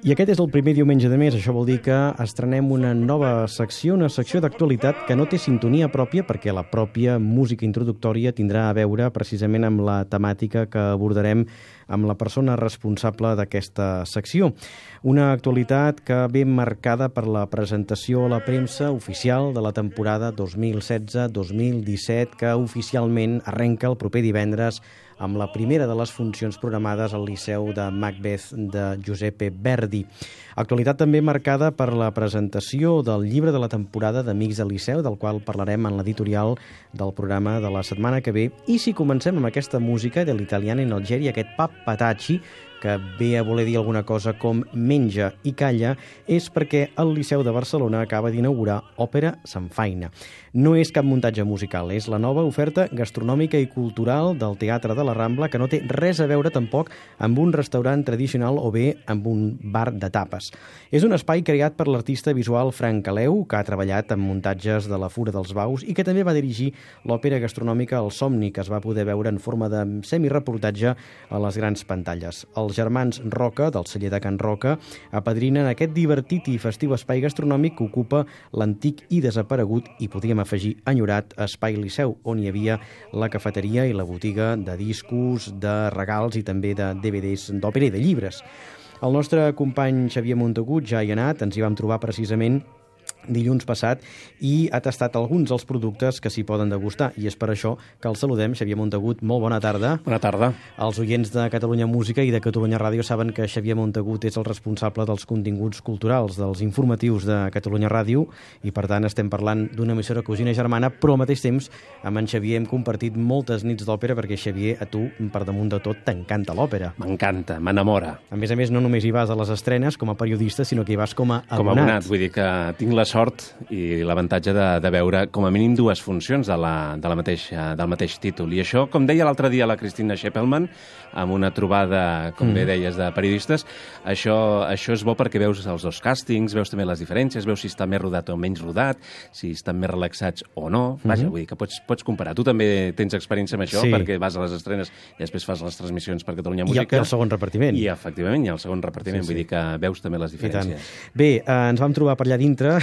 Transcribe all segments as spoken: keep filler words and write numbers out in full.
I aquest és el primer diumenge de mes, això vol dir que estrenem una nova secció, una secció d'actualitat que no té sintonia pròpia perquè la pròpia música introductòria tindrà a veure precisament amb la temàtica que abordarem amb la persona responsable d'aquesta secció. Una actualitat que ve marcada per la presentació a la premsa oficial de la temporada dos mil setze dos mil disset que oficialment arrenca el proper divendres amb la primera de les funcions programades al Liceu de Macbeth de Giuseppe Verdi. Actualitat també marcada per la presentació del llibre de la temporada d'Amics del Liceu, del qual parlarem en l'editorial del programa de la setmana que ve. I si comencem amb aquesta música de l'italiana in Algèria, aquest Pappatacci, que ve a voler dir alguna cosa com menja i calla, és perquè el Liceu de Barcelona acaba d'inaugurar Òpera Samfaina. No és cap muntatge musical, és la nova oferta gastronòmica i cultural del Teatre de la Rambla, que no té res a veure tampoc amb un restaurant tradicional o bé amb un bar de tapes. És un espai creat per l'artista visual Frank Caleu, que ha treballat en muntatges de la Fura dels Baus i que també va dirigir l'òpera gastronòmica El Somni, que es va poder veure en forma de semireportatge a les grans pantalles. Els germans Roca, del celler de Can Roca, apadrinen aquest divertit i festiu espai gastronòmic que ocupa l'antic i desaparegut, i podríem afegir enyorat, Espai Liceu, on hi havia la cafeteria i la botiga de discos, de regals i també de D V Ds d'òpera i de llibres. El nostre company Xavier Montagut ja hi ha anat, ens hi vam trobar precisament dilluns passat i ha tastat alguns dels productes que s'hi poden degustar, i és per això que el saludem. Xavier Montagut, molt bona tarda. Bona tarda. Els oients de Catalunya Música i de Catalunya Ràdio saben que Xavier Montagut és el responsable dels continguts culturals, dels informatius de Catalunya Ràdio, i per tant estem parlant d'una emissora cosina germana, però al mateix temps amb en Xavier hem compartit moltes nits d'òpera, perquè Xavier, a tu, per damunt de tot, t'encanta l'òpera. M'encanta, m'enamora. A més a més, no només hi vas a les estrenes com a periodista, sinó que hi vas com a abonat. Com a abonat, vull dir que tinc la sort i l'avantatge de, de veure com a mínim dues funcions de la, de la mateixa, del mateix títol. I això, com deia l'altre dia la Cristina Scheppelman, amb una trobada, com mm. bé deies, de periodistes, això, això és bo perquè veus els dos càstings, veus també les diferències, veus si està més rodat o menys rodat, si estan més relaxats o no. Vaja, mm -hmm. vull dir que pots, pots comparar. Tu també tens experiència amb això, sí, perquè vas a les estrenes i després fas les transmissions per Catalunya Música. I el segon repartiment. I, efectivament, i el segon repartiment. Sí, sí. Vull dir que veus també les diferències. Bé, eh, ens vam trobar per allà dintre.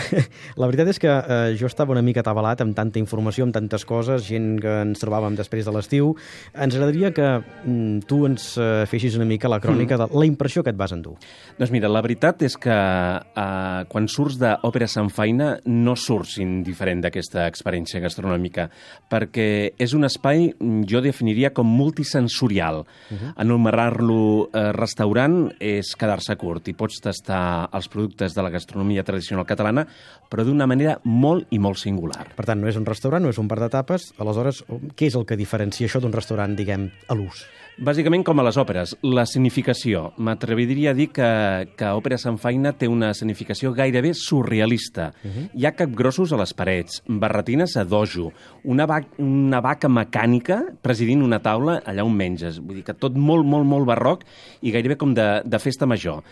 La veritat és que eh, jo estava una mica atabalat amb tanta informació, amb tantes coses, gent que ens trobàvem després de l'estiu. Ens agradaria que mm, tu ens eh, feixis una mica la crònica mm. de la impressió que et vas endur. Doncs mira, la veritat és que eh, quan surts d'Òpera Samfaina no surts indiferent d'aquesta experiència gastronòmica, perquè és un espai, jo definiria com multisensorial. Uh -huh. Anomenar-lo eh, restaurant és quedar-se curt, i pots tastar els productes de la gastronomia tradicional catalana, però d'una manera molt i molt singular. Per tant, no és un restaurant, no és un bar de tapes. Aleshores, què és el que diferencia això d'un restaurant, diguem, a l'ús? Bàsicament com a les òperes, la significació. M'atreviria a dir que, que Òpera Samfaina té una significació gairebé surrealista. Uh -huh. Hi ha capgrossos a les parets, barretines a dojo, una, va una vaca mecànica presidint una taula allà on menges. Vull dir que tot molt, molt, molt barroc i gairebé com de, de festa major.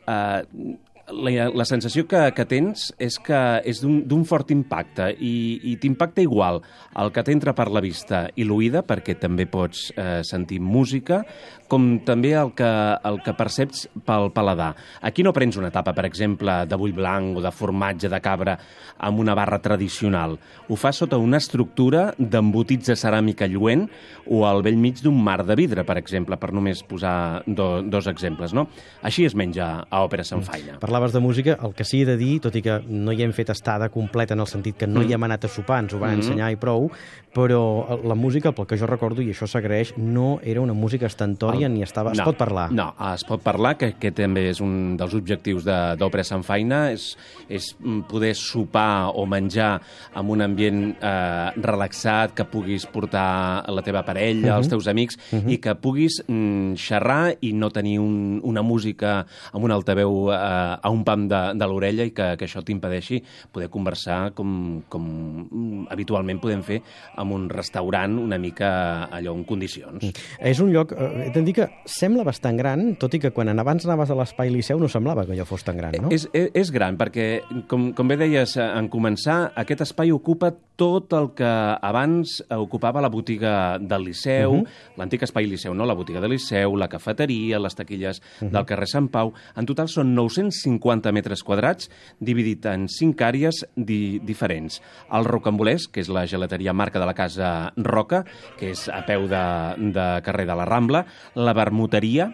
Uh, La, la sensació que, que tens és que és d'un fort impacte, i, i t'impacta igual el que t'entra per la vista i l'oïda, perquè també pots eh, sentir música, com també el que, el que perceps pel paladar. Aquí no prens una tapa, per exemple, de bull blanc o de formatge de cabra amb una barra tradicional. Ho fas sota una estructura d'embotits de ceràmica lluent o al vell mig d'un mar de vidre, per exemple, per només posar do, dos exemples, no? Així es menja a Òpera Samfaina. Parlaves de música, el que sí he de dir, tot i que no hi hem fet estada completa en el sentit que no mm. hi hem anat a sopar, ens ho van mm -hmm. ensenyar i prou, però la música, pel que jo recordo, i això s'agraeix, no era una música estentòria, el... ni estava... Es no, pot parlar? No, es pot parlar, que, que també és un dels objectius d'Òpera Samfaina, és, és poder sopar o menjar amb un ambient eh, relaxat, que puguis portar la teva parella, mm -hmm. els teus amics, mm -hmm. i que puguis mm, xerrar i no tenir un, una música amb un altaveu eh, a un pam de, de l'orella i que, que això t'impedeixi poder conversar com, com habitualment podem fer en un restaurant una mica allò en condicions. Mm. És un lloc, eh, he de dir que sembla bastant gran, tot i que quan abans anaves a l'Espai Liceu no semblava que allò fos tan gran, no? És, és, és gran, perquè, com, com bé deies en començar, aquest espai ocupa tot el que abans ocupava la botiga del Liceu, uh -huh. l'antic Espai Liceu, no? La botiga del Liceu, la cafeteria, les taquilles uh -huh. del carrer Sant Pau. En total són nou-cents cinquanta metres quadrats, dividit en cinc àrees di diferents. El Rocambolès, que és la gelateria marca de la casa Roca, que és a peu de, de carrer de la Rambla, la Vermuteria,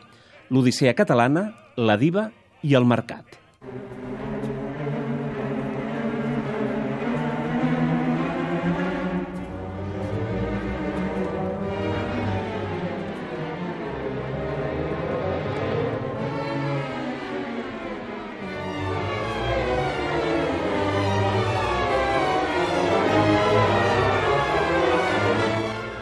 l'Odissea Catalana, la Diva i el Mercat.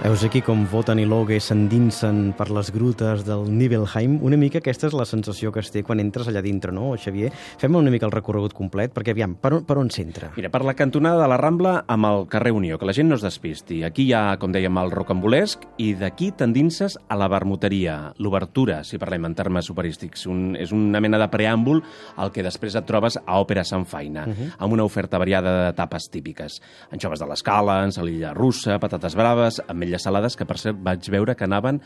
Veus aquí com Wotan i Loge s'endinsen per les grutes del Nibelheim. Una mica aquesta és la sensació que es té quan entres allà dintre, no, Xavier? Fem una mica el recorregut complet, perquè aviam, per on, per on s'entra? Mira, per la cantonada de la Rambla amb el carrer Unió, que la gent no es despisti. Aquí hi ha, com dèiem, el Rocambolesc i d'aquí t'endinses a la Vermuteria, l'obertura, si parlem en termes superístics. Un, és una mena de preàmbul al que després et trobes a Òpera Sant Faina, uh -huh. amb una oferta variada de tapes típiques. Anxoves de l'escala, ensalilla russa, patates braves, ametlles salades, que per cert vaig veure que anaven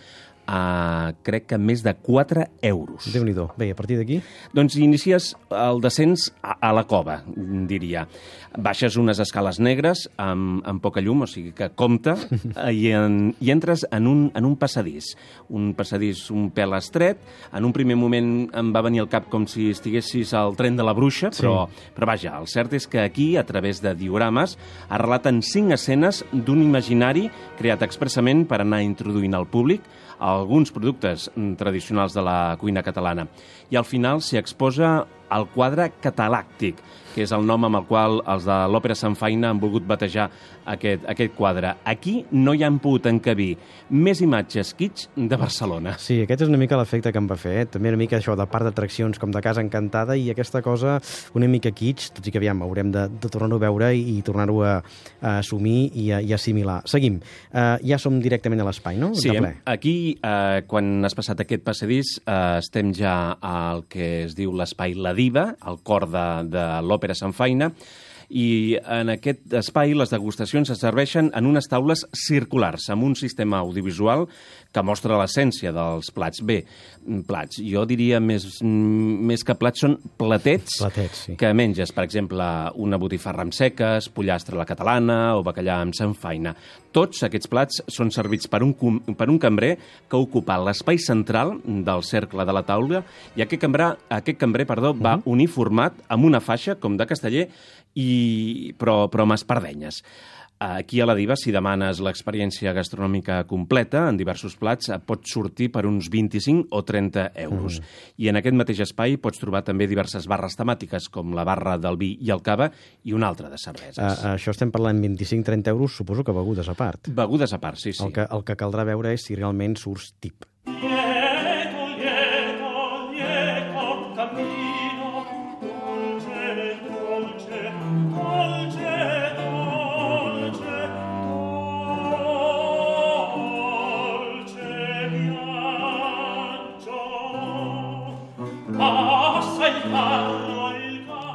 a, crec que més de quatre euros. Déu-n'hi-do. Bé, a partir d'aquí? Doncs inicies el descens a, a la cova, diria. Baixes unes escales negres amb, amb poca llum, o sigui que compta, i, en, i entres en un, en un passadís. Un passadís un pèl estret. En un primer moment em va venir al cap com si estiguessis al tren de la bruixa, però, sí. però vaja, el cert és que aquí, a través de diorames, es relaten cinc escenes d'un imaginari creat expressament per anar introduint al públic alguns productes tradicionals de la cuina catalana. I al final s'hi exposa el quadre catalàctic, que és el nom amb el qual els de l'Òpera Sant Faina han volgut batejar aquest, aquest quadre. Aquí no hi han pogut encabir més imatges kitsch de Barcelona. Sí, aquest és una mica l'efecte que em va fer. Eh? També una mica això de part d'atraccions com de Casa Encantada i aquesta cosa una mica kitsch, tot i que aviam, haurem de, de tornar-ho a veure i, i tornar-ho a, a assumir i a, i a assimilar. Seguim. Uh, ja som directament a l'espai, no? Sí, aquí, uh, quan has passat aquest passadís, uh, estem ja al que es diu l'espai La Diva, al cor de, de l'Òpera Sant Faina, i en aquest espai les degustacions es serveixen en unes taules circulars, amb un sistema audiovisual que mostra l'essència dels plats. Bé, plats, jo diria més, més que plats són platets, platets sí. que menges, per exemple, una botifarra amb seques, pollastre a la catalana o bacallà amb samfaina. Tots aquests plats són servits per un, per un cambrer que ocupa l'espai central del cercle de la taula i aquest cambrer, aquest cambrer perdó, va uh-huh. uniformat amb una faixa, com de casteller, i, però, però amb espardenyes. Aquí a la Diva, si demanes l'experiència gastronòmica completa en diversos plats, pot sortir per uns vint-i-cinc o trenta euros. Mm. I en aquest mateix espai pots trobar també diverses barres temàtiques, com la barra del vi i el cava i una altra de cerveses. Uh, això estem parlant vint-i-cinc trenta euros, suposo que begudes a part. Begudes a part, sí, sí. El que, el que caldrà veure és si realment surts tip. Lieto, lieto, lieto, camino, dolce, dolce, dolce.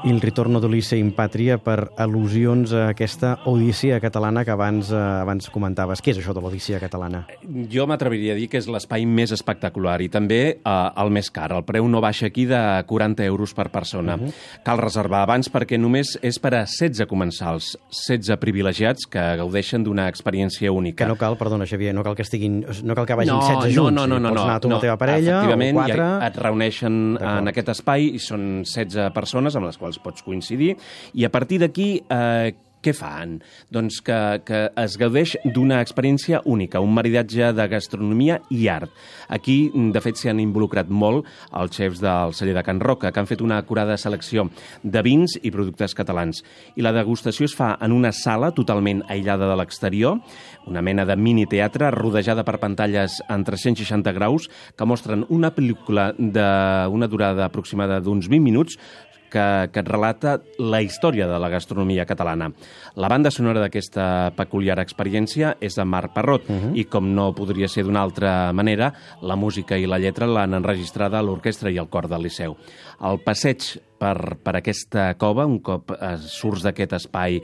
Il ritorno d'Ulisse in Patria per al·lusions a aquesta Odissea catalana que abans, eh, abans comentaves. Què és això de l'Odissea catalana? Jo m'atreviria a dir que és l'espai més espectacular i també eh, el més car. El preu no baixa aquí de quaranta euros per persona. Uh -huh. Cal reservar abans perquè només és per a setze comensals, setze privilegiats que gaudeixen d'una experiència única. Que no cal, perdona, Xavier, no cal que estiguin, no cal que vagin no, setze junts. No, no, no, pots no, anar tu no, amb la teva parella o quatre. Ja et reuneixen en aquest espai i són setze persones amb les quals pots coincidir, i a partir d'aquí eh, què fan? Doncs que, que es gaudeix d'una experiència única, un maridatge de gastronomia i art. Aquí, de fet, s'hi han involucrat molt els xefs del celler de Can Roca, que han fet una acurada selecció de vins i productes catalans. I la degustació es fa en una sala totalment aïllada de l'exterior, una mena de mini-teatre rodejada per pantalles en tres-cents seixanta graus que mostren una pel·lícula d'una durada aproximada d'uns vint minuts que, que et relata la història de la gastronomia catalana. La banda sonora d'aquesta peculiar experiència és de Marc Parrot, uh-huh. i com no podria ser d'una altra manera, la música i la lletra l'han enregistrada l'orquestra i el cor del Liceu. El passeig per, per aquesta cova, un cop eh, surts d'aquest espai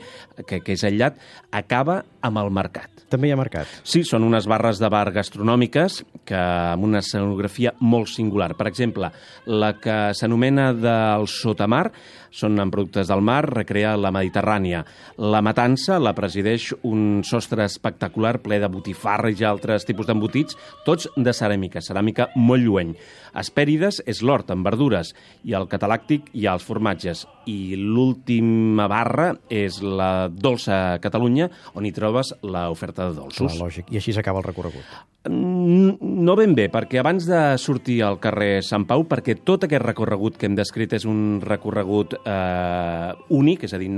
que, que és aïllat, acaba amb el mercat. També hi ha mercat? Sí, són unes barres de bar gastronòmiques que amb una escenografia molt singular. Per exemple, la que s'anomena del Sotamar, són amb productes del mar, recrea la Mediterrània. La Matança la presideix un sostre espectacular ple de botifarres i altres tipus d'embotits, tots de ceràmica, ceràmica molt lluent. Hespèrides és l'hort amb verdures i el Catalàctic hi ha els formatges. I l'última barra és la Dolça Catalunya, on hi trobes l'oferta de dolços. Clar, lògic. I així s'acaba el recorregut. No ben bé, perquè abans de sortir al carrer Sant Pau, perquè tot aquest recorregut que hem descrit és un recorregut eh, únic, és a dir,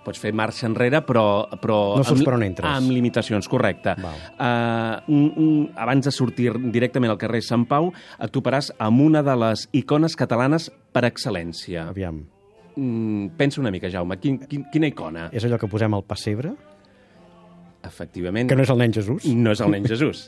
pots fer marxa enrere, però, però no saps amb, per on entres. Amb limitacions, correcte. Uh, un, un, abans de sortir directament al carrer Sant Pau, et toparàs amb una de les icones catalanes per excel·lència. Aviam. Mm, pensa una mica, Jaume, quin, quin, quina icona? És allò que posem al pessebre? Efectivament. Que no és el nen Jesús? No és el nen Jesús.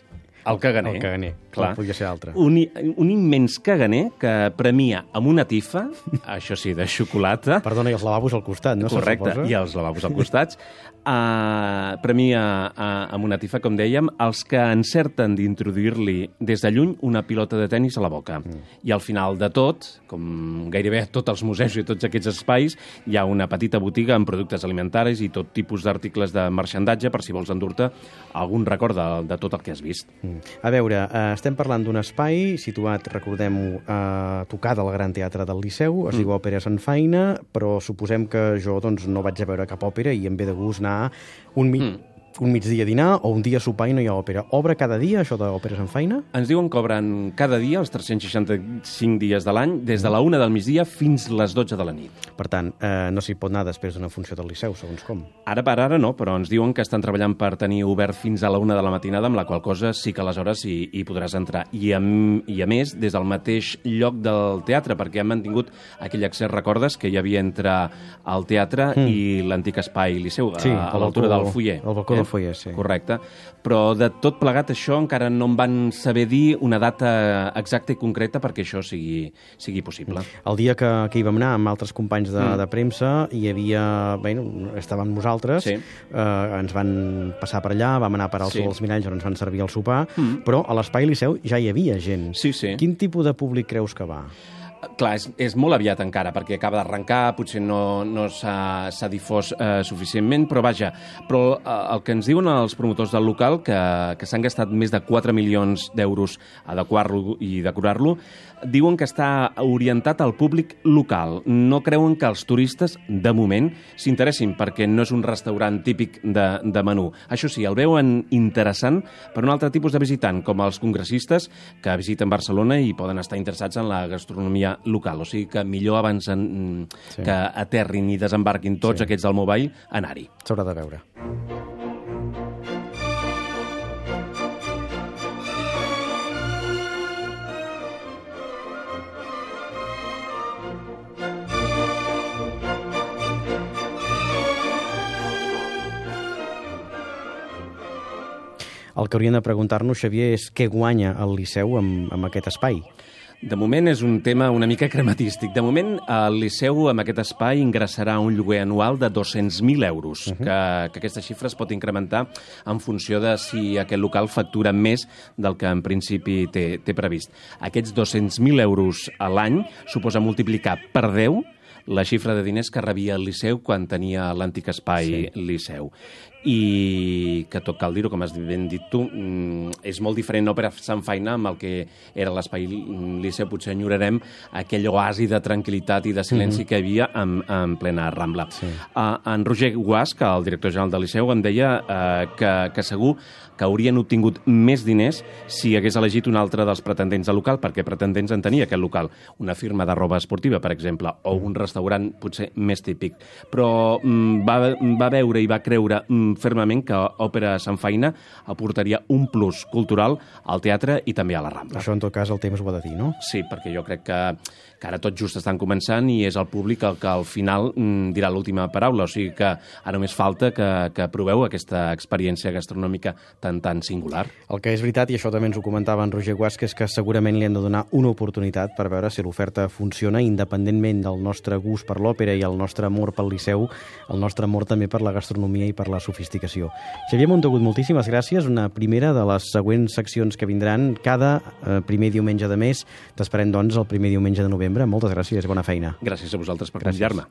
El caganer. El caganer, clar, podria ser altre. Un, un immens caganer que premia amb una tifa, això sí, de xocolata. Perdona, i els lavabos al costat, no? Correcte, i els lavabos al costat. Uh, premia uh, amb una tifa, com dèiem, els que encerten d'introduir-li des de lluny una pilota de tennis a la boca. Mm. I al final de tot, com gairebé a tots els museus i tots aquests espais, hi ha una petita botiga amb productes alimentaris i tot tipus d'articles de marxandatge per si vols endur-te algun record de, de tot el que has vist. Mm. A veure, eh, estem parlant d'un espai situat, recordem-ho, a tocar del Gran Teatre del Liceu, es mm. diu Òpera Sant Faina, però suposem que jo doncs, no vaig a veure cap òpera i em ve de gust anar un mig... Mm. un migdia a dinar o un dia a sopar i no hi ha òpera. Obre cada dia, això d'Òpera Sant Faina? Ens diuen que obren cada dia, els tres-cents seixanta-cinc dies de l'any, des de la una del migdia fins les dotze de la nit. Per tant, eh, no s'hi pot anar després d'una funció del Liceu, segons com. Ara per ara no, però ens diuen que estan treballant per tenir obert fins a la una de la matinada, amb la qual cosa sí que aleshores hi, hi podràs entrar. I a, I a més, des del mateix lloc del teatre, perquè han mantingut aquell accés, recordes, que hi havia entre el teatre mm. i l'antic espai Liceu, sí, a, a l'altura del Foyer. El balcó eh? del Foyer, sí. Correcte. Però de tot plegat això encara no em van saber dir una data exacta i concreta perquè això sigui, sigui possible. El dia que, que hi vam anar amb altres companys de, mm. de premsa hi havia... Bé, estàvem nosaltres, sí. eh, ens van passar per allà, vam anar per al sí. Sol dels Miralls on ens van servir el sopar, mm. però a l'Espai Liceu ja hi havia gent. Sí, sí. Quin tipus de públic creus que va? Clar, és, és molt aviat encara, perquè acaba d'arrencar, potser no, no s'ha difós eh, suficientment, però vaja, però eh, el que ens diuen els promotors del local, que, que s'han gastat més de quatre milions d'euros a adequar-lo i decorar-lo, diuen que està orientat al públic local. No creuen que els turistes, de moment, s'interessin, perquè no és un restaurant típic de, de menú. Això sí, el veuen interessant per un altre tipus de visitant, com els congressistes que visiten Barcelona i poden estar interessats en la gastronomia local. O sigui que millor abans en, sí. que aterrin i desembarquin tots sí. aquests del mobile, anar-hi. S'haurà de veure. El que hauríem de preguntar-nos, Xavier, és què guanya el Liceu amb, amb aquest espai? De moment és un tema una mica crematístic. De moment, el Liceu, amb aquest espai, ingressarà un lloguer anual de dos-cents mil euros, uh -huh. que, que aquesta xifra es pot incrementar en funció de si aquest local factura més del que en principi té, té previst. Aquests dos-cents mil euros a l'any suposa multiplicar per deu la xifra de diners que rebia el Liceu quan tenia l'antic espai sí. Liceu. I que tot cal dir-ho, com has ben dit tu, és molt diferent Òpera Sant Faina amb el que era l'espai Liceu. Potser enyorarem aquell oasi de tranquil·litat i de silenci mm-hmm. que hi havia en, en plena Rambla. Sí. Uh, en Roger Guasc, el director general del Liceu, em deia uh, que, que segur que haurien obtingut més diners si hagués elegit un altre dels pretendents del local, perquè pretendents en tenia aquest local. Una firma de roba esportiva, per exemple, o un restaurant restaurant potser més típic. Però mm, va, va veure i va creure mm, fermament que Òpera Sant Faina aportaria un plus cultural al teatre i també a la Rambla. Això, en tot cas, el temps ho ha de dir, no? Sí, perquè jo crec que, que ara tot just estan començant i és el públic el que al final mm, dirà l'última paraula. O sigui que ara només falta que, que proveu aquesta experiència gastronòmica tan, tan singular. El que és veritat, i això també ens ho comentava en Roger Guasca, és que segurament li han de donar una oportunitat per veure si l'oferta funciona, independentment del nostre gust per l'òpera i el nostre amor pel Liceu, el nostre amor també per la gastronomia i per la sofisticació. Xavier Montagut, moltíssimes gràcies. Una primera de les següents seccions que vindran cada eh, primer diumenge de mes. T'esperem, doncs, el primer diumenge de novembre. Moltes gràcies, bona feina. Gràcies a vosaltres per convidar-me.